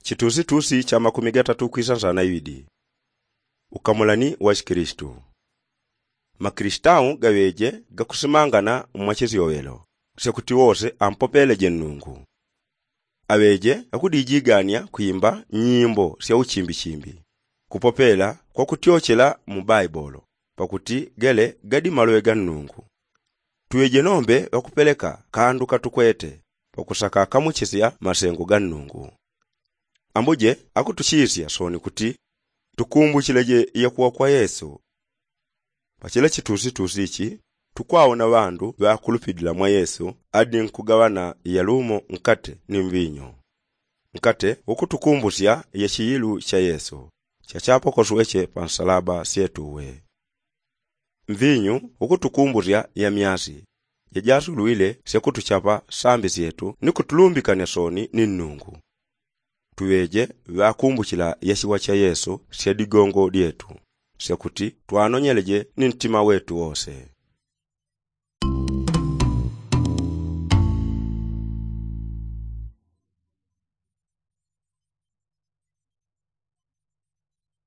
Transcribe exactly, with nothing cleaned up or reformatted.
Chitusitusi cha makumi gatatu kwisa nsana iwidi. Ukamulani wa chikilistu. Makilistau gaŵeje gakusimangana mwa chisyowelo syakuti wose ampopeleje nnungu. Aŵeje akudijigania kwimba nyimbo sya uchimbichimbi, kupopela kwakutyochela mu baibolo, pakuti gele gadi maloŵe ga nnungu. Tuŵeje nombe ŵakupeleka kandu katukwete pakusaka kamuchisya masengo ga nnungu. Ambuje akutuchisya soni kuti tukumbuchileje yakuwa kwa yesu. Pachila chitusitusi ichi tukwaona ŵandu ŵakulupilila mwa yesu adi nkugaŵana yalumo nkate ni mvinyu. Nkate ukutukumbusya yachiyilu cha yesu chachapokosweche pansalaba syetuwe. Mvinyu ukutukumbusya yamyasi jajasulwile syakutuchapa sambi syetu ni kutulumbikanya soni ni nnungu. Tuŵeje ŵakumbuchila yachiwa cha yesu sya digongo dyetu syakuti twanonyeleje ni ntima wetu wose.